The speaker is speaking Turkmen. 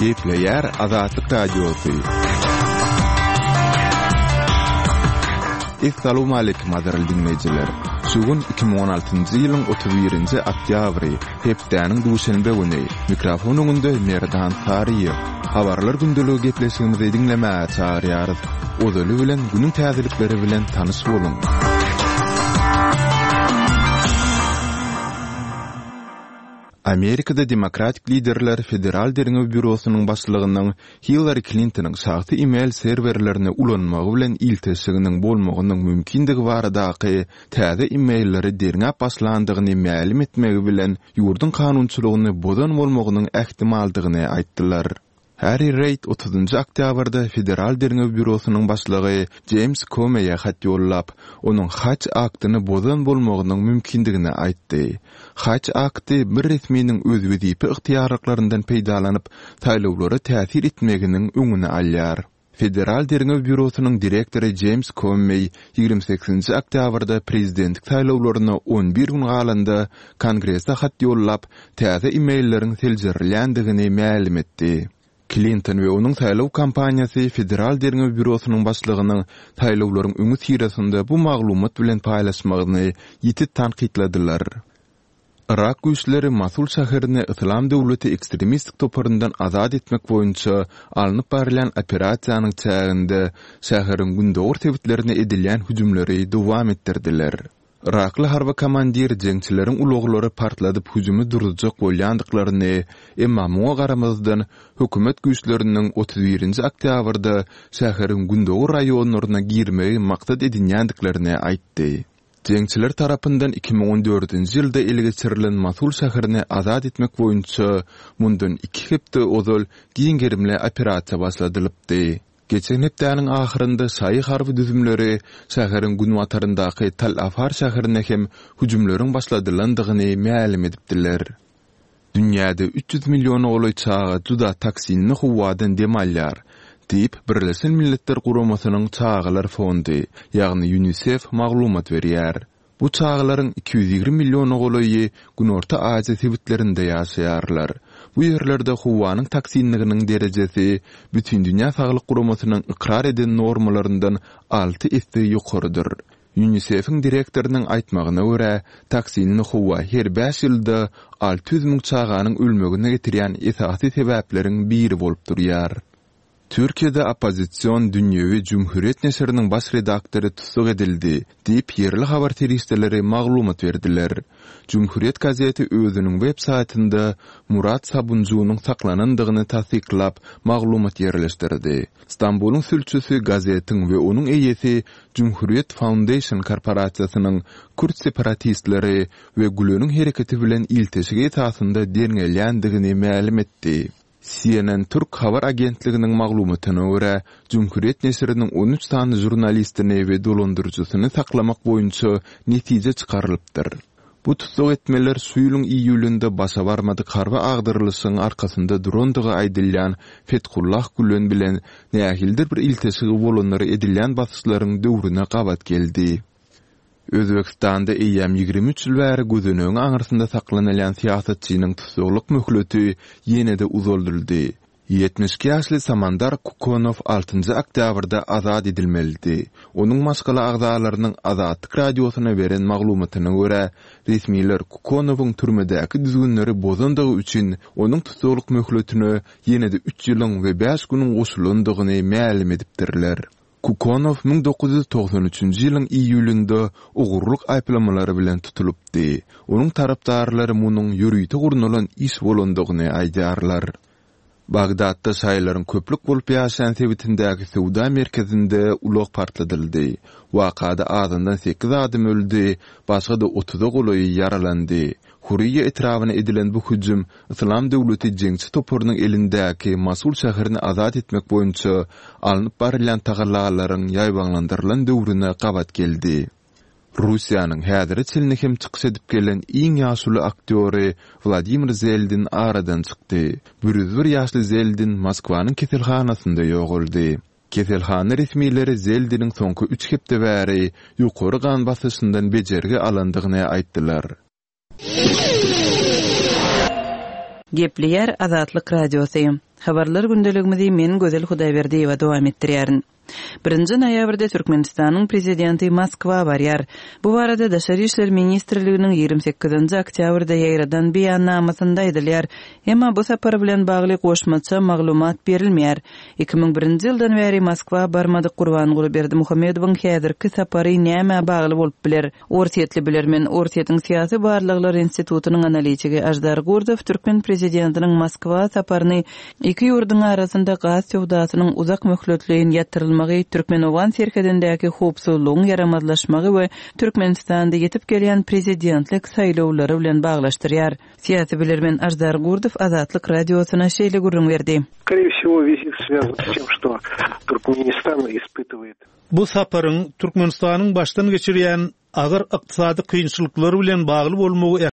Gepleýär Azatlyk Radiosy. Essalawmaleýkim gadyrly diňleýjiler! Şu gün 2016-njy ýylyň 31-nji oktýabry, hepdäniň duşenbe güni. Mikrofon öňünde Merdan Saryýew. Habarlar gündeligi gepleşigimizi diňlemäge çagyrýarys. Ozaly bilen günüň täzelikleri bilen tanyş boluň! Amerikada demokratik liderler Federal derňew býurosynyň başlygynyň Hillari Klintonyň şahsy e-mail serwerlerini ulanmagy bilen ilteşiginiň bolmagynyň mümkindigi baradaky täze e-mailleri derňäp başlandygyny mälim etmegi bilen ýurduň kanunçylygyny bozan bolmagynyň ähtimaldygyny aýtdylar. Harri Reýd otuzynjy oktýabrda Federal derňew býurosynyň başlygy Jeýms Komeýe hat ýollap, onuň Hatch aktyny bozan bolmagynyň mümkindigini aýtdy. Hatch akty bir resminiň öz wezipe ygtyýarlyklaryndan peýdalanyp, saýlawlara täsir etmeginiň öňüni alýar. Federal derňew býurosynyň direktory Jeýms Kommeý 28-nji oktýabrda prezidentlik saýlawlaryna 11 gün galanda Kongrese hat ýollap, täze e-mailleriň seljerilýändigini mälim etdi. Klinton we onuň saýlaw kampaniýasy Federal derňew býurosynyň başlygynyň saýlawlaryň öňüsyrasynda bu maglumat bilen paýlaşmagyny ýiti tankytladylar. Yrak güýçleri Mosul şäherini Yslam döwleti ekstremistik toparyndan azat etmek boýunça alnyp barylýan operasiýanyň çäginde şäheriň gündogar sebitlerine edilýän hüjümleri dowam etdirdiler. Yrakly harby komandir jeňçileriň ulaglary partladyp hüjümi duruzjak bolýandyklaryny, emma muňa garamazdan hökümet güýçleriniň 31-nji oktýabrda şäheriň gündogar raýonlaryna girmegi maksat edinýändiklerini aýtdy. Jeňçiler tarapyndan 2014-nji ýylda ele geçirilen Mosul şäherini azat etmek boýunça mundan iki hepde ozal giň gerimli operasiýa başladylypdy. Geçen hepdäniň ahyrynda şaýy harby düzümleri şäheriň günbataryndaky Tal Afar şäherine hem hüjümleriň başladylandygyny mälim edipdiler. Dünýäde 300 milliona golaý çaga juda toksinli howadan dem alýar, diýip, Birleşen Milletler Guramasynyň Çagalar fondy, ýagny Ýunisef maglumat berýär. Bu çagalaryň 220 milliona golaýy Günorta Aziýa sebitlerinde ýaşaýarlar. Bu ýerlerde howanyň toksinliginiň derejesi Bütindünýä Saglyk Guramasynyň ykrar eden normalaryndan alty esse ýokarydyr. Ýunisef-iň direktorynyň aýtmagyna görä, toksinli howa her bäş ýylda 600 müň çaganyň ölmegine getirýän esasy sebäpleriň biri bolup durýar. Türkiýede oppozision dünýewi Cumhuriyet neşiriniň baş redaktory tussag edildi, diýip, ýerli habar serişdeleri maglumat berdiler. Cumhuriyet gazeti özüniň web saýtynda Murat Sabunjunyň saklanandygyny tassyklap, maglumat ýerleşdirdi. Stambulyň sülçüsi gazetiň we onuň eýesi Cumhuriyet Foundation korporasiýasynyň kürt separatistleri we Güleniň hereketi bilen ilteşigi esasynda derňelýändigini mälim etdi. CNN Türk habar agentliginiň maglumatyna görä, Cumhuriyet neşiriniň 13 sany žurnalistini we dolandyryjysyny saklamak boýunça netije çykarylypdyr. Bu tussag etmeler şu ýylyň iýulynda başa barmadyk harby agdarylyşygyň arkasynda durandygy aýdylýan Fethullah Gülen bilen nähilidir bir ilteşigi bolanlara edilýän basyşlaryň döwrüne gabat geldi. Özbegistanda eýýäm 23 ýyl bäri gözenegiň aňyrsynda saklanylýan syýasatçynyň tussaglyk möhleti ýene-de uzaldyldy. 72 ýaşly Samandar Kukonow altynjy oktýabrda azat edilmelidi. Onuň maşgala agzalarynyň Azatlyk Radiosyna beren maglumatyna görä, resmiler Kukonowyň türmedäki düzgünleri bozandygy üçin onuň tussaglyk möhletine ýene-de üç ýylyň we bäş günüň goşulandygyny mälim edipdirler. Kukonow 1993-nji ýylyň iýulynda ogurlyk aýyplamalary bilen tutulypdy. Onuň tarapdarlary munuň ýörite gurnalan iş bolandygyny aýdýarlar. Bagdatda şaýylaryň köplük bolup ýaşaýan sebitindäki söwda merkezinde ulag partladyldy. Wakada azyndan sekiz adam öldi, başga-da otuza golaýy ýaralandy. Huriýa etrabyna edilen bu hüjüm Yslam döwleti jeňçi toparynyň elindäki Mosul şäherini azat etmek boýunça alnyp barylýan tagallalaryň ýaýbaňlandyrylan döwrüne gabat geldi. Russiýanyň häzire çenli hem çykyş edip gelen iň ýaşuly aktýory Wladimir Zeldin aradan çykdy. 101 ýaşly Zeldin Moskwanyň keselhanasynda ýogaldy. Keselhana resmileri Zeldiniň soňky üç hepde bäri ýokary gan basyşyndan bejergi alandygyny aýtdylar. Gepleýär Azatlyk Radiosy. Habarlar gündeligimizi men Gözel Hudaýberdiýewa dowam etdirýärin. Birinji noýabrda Türkmenistanyň Prezidenti Moskwa barýar. Bu barada Daşary işler ministrliginiň 28-nji oktýabrda ýaýradan beýannamasynda aýdylýar. Emma bu sapar bilen bagly goşmaça maglumat berilmeýär. 2001-nji ýyldan bäri Moskwa barmadyk Gurbanguly Berdimuhamedowyň häzirki sapary nämä bagly bolup biler? Orsýetli bilermen, Orsýetiň Syýasy barlaglar institutynyň analitigi Aždar Gurdow türkmen prezidentiniň Moskwa saparyny iki ýurduň arasynda gaz söwdasynyň uzak möhletleýin ýatyrylmagy, türkmen-owgan serhedindäki howpsuzlygyň ýaramazlaşmagy we Türkmenistanda ýetip gelýän prezidentlik saýlawlary bilen baglaşdyrýar. Syýasy bilermen Aždar Gurdow Azatlyk Radiosyna şeýle gürrüň berdi. Skoree wsego wizit swýazan s tem, çto Turkmenistan ispytywaet. Bu saparyň Türkmenistanyň başdan geçirýän agyr ykdysady kynçylyklary bilen bagly bolmagy.